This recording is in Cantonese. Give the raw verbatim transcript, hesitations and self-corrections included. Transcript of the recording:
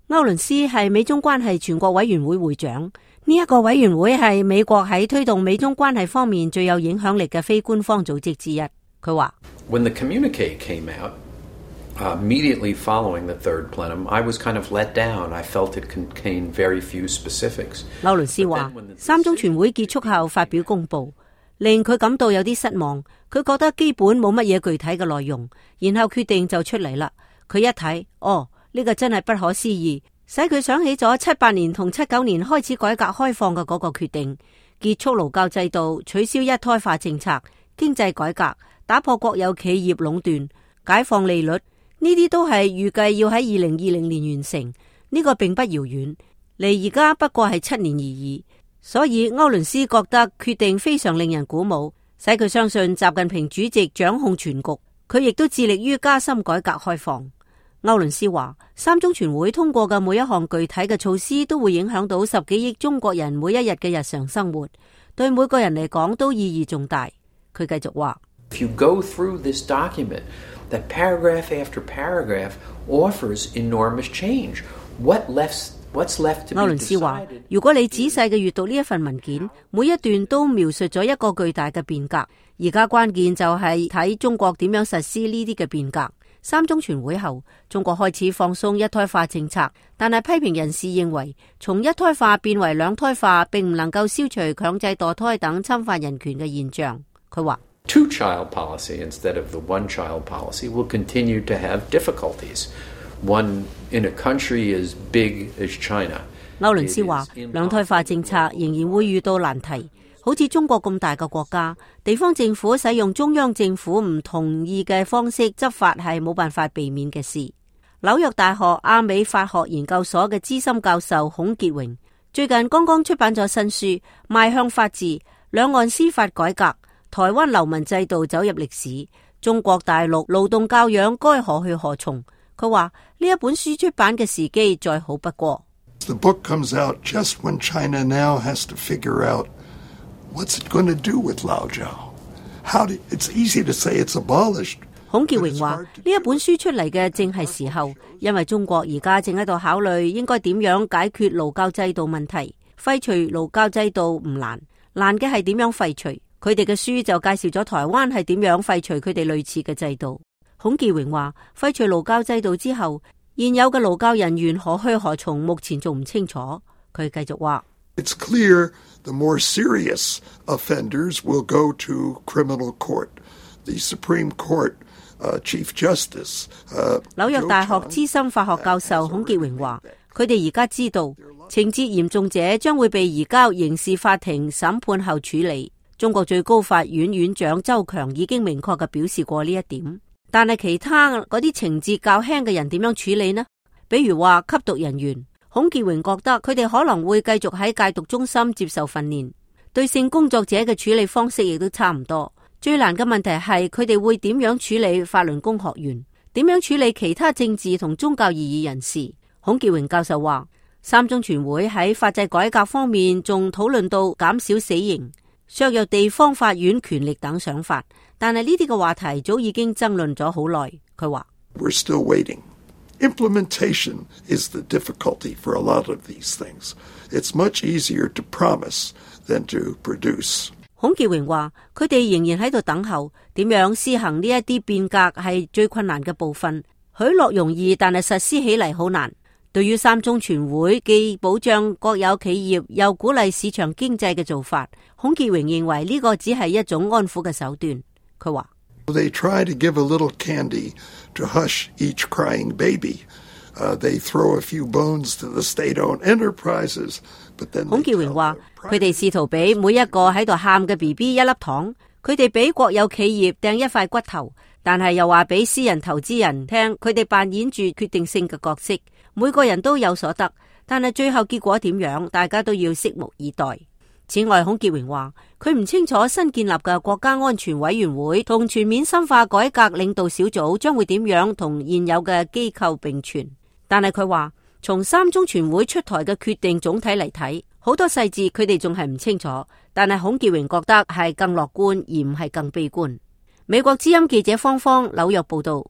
歐倫斯係美中關係全國委員會會長，呢一個委員會係美國喺推動美中關係方面最有影響力嘅非官方組織之一。佢話 When the communique came out, uh, immediately following the third plenum, I was kind of let down. I felt it contained very few specifics. 歐倫斯話，三中全會結束後發表公佈，令佢感到有啲失望。佢覺得基本冇乜嘢具體嘅內容，然後決定就出嚟啦。佢一睇，哦，呢個真係不可思議，使佢想起咗七八年同七九年開始改革開放嘅嗰個決定，結束勞教制度，取消一胎化政策，經濟改革，打破國有企業壟斷，解放利率，呢啲都係預計要喺二零二零年完成。呢個並不遙遠，離而家不過係七年而已。所以歐倫斯覺得決定非常令人鼓舞，使佢相信習近平主席掌控全局。佢亦都致力於加深改革開放。歐倫斯話，三中全會通過嘅每一項具體嘅措施都會影響到十幾億中國人每一日嘅日常生活，對每個人嚟講都意義重大。佢繼續話， If you go through this document, that paragraph after paragraph offers enormous change. What left, what's left to be decided? 歐倫斯話，如果你仔細嘅閱讀呢一份文件，每一段都描述咗一個巨大嘅變革。而家關鍵就係睇中國點樣實施呢啲嘅變革。三中全會後，中國開始放鬆一胎化政策，但係批評人士認為，從一胎化變為兩胎化並唔能夠消除強制墮胎等侵犯人權嘅現象。佢話， Two-child policy instead of the one-child policy will continue to have difficulties. One in a country as big as China. 歐倫斯話，兩胎化政策仍然會遇到難題。好似中國咁大嘅國家，地方政府使用中央政府唔同意嘅方式執法係冇辦法避免嘅事。紐約大學亞美法學研究所嘅資深教授孔傑榮最近剛剛出版咗新書《邁向法治：兩岸司法改革，台灣流民制度走入歷史，中國大陸勞動教養該何去何從》。佢話呢一本書出版嘅時機再好不過。The book comes out just when China now has to figure out what's it going to do with 勞教? How do, it's easy to say it's abolished. 孔傑榮話：呢一本書出嚟嘅正係時候，因為中國而家正喺度考慮應該點樣解決勞教制度問題。廢除勞教制度唔難，難嘅係點樣廢除。佢哋嘅書就介紹咗台灣係點樣廢除佢哋類似嘅制度。孔傑榮話：廢除勞教制度之後，現有嘅勞教人員何去何從，目前仲唔清楚。佢繼續話：It's clear the more serious offenders will go to criminal court. The Supreme Court, uh, Chief Justice. 紐約大學資深法學教授孔傑榮話：佢哋而家知道，情節嚴重者將會被移交刑事法庭審判後處理。中國最高法院院長周強已經明確嘅表示過呢一點。但係其他嗰啲情節較輕嘅人點樣處理呢？比如話吸毒人員，孔傑榮覺得佢哋可能會繼續喺戒毒中心接受訓練。對性工作者嘅處理方式亦都差唔多。最難嘅問題係佢哋會點樣處理法輪功學員，點樣處理其他政治同宗教異議人士。孔傑榮教授話，三中全會喺法制改革方面仲討論到減少死刑、削弱地方法院權力等想法，但係呢啲嘅話題早已經爭論咗好耐。佢話 We're still waiting. Implementation is the difficulty for a lot of these things. It's much easier to promise than to produce. 孔傑榮話，佢哋仍然喺度等候，點樣施行呢一啲變革係最困難嘅部分。許諾容易，但係實施起嚟好難。對於三中全會既保障國有企業又鼓勵市場經濟嘅做法，孔傑榮認為呢個只係一種安撫嘅手段。佢話They try to give a little candy to hush each crying baby. Uh, they throw a few bones to the state-owned enterprises, but then 孔傑榮話，佢哋試圖俾每一個喺度喊嘅 B B 一粒糖，佢哋俾國有企業掟一塊骨頭，但係又話俾私人投資人聽，佢哋扮演住決定性嘅角色，每個人都有所得，但係最後結果點樣，大家都要拭目以待。此外，孔傑榮話，佢唔清楚新建立嘅國家安全委員會同全面深化改革領導小組將會點樣同現有嘅機構並存。但係佢話，從三中全會出台嘅決定總體嚟睇，好多細節佢哋仲係唔清楚。但係孔傑榮覺得係更樂觀而唔係更悲觀。美國之音記者方方紐約報道。